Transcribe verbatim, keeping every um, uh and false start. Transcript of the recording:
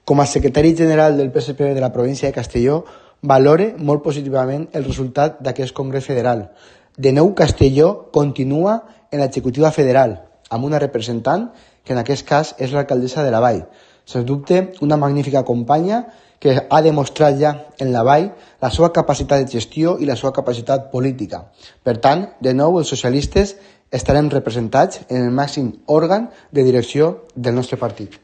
Com a secretari general del P S P de la província de Castelló, valore molt positivament el resultat d'aquest Congrés Federal. De nou, Castelló continua en l'executiva federal, amb una representant que en aquest cas és l'alcaldessa de la Vall. Sens dubte, una magnífica companya que ha demostrat ja en la Vall la seva capacitat de gestió i la seva capacitat política. Per tant, de nou, els socialistes estarem representats en el màxim òrgan de direcció del nostre partit.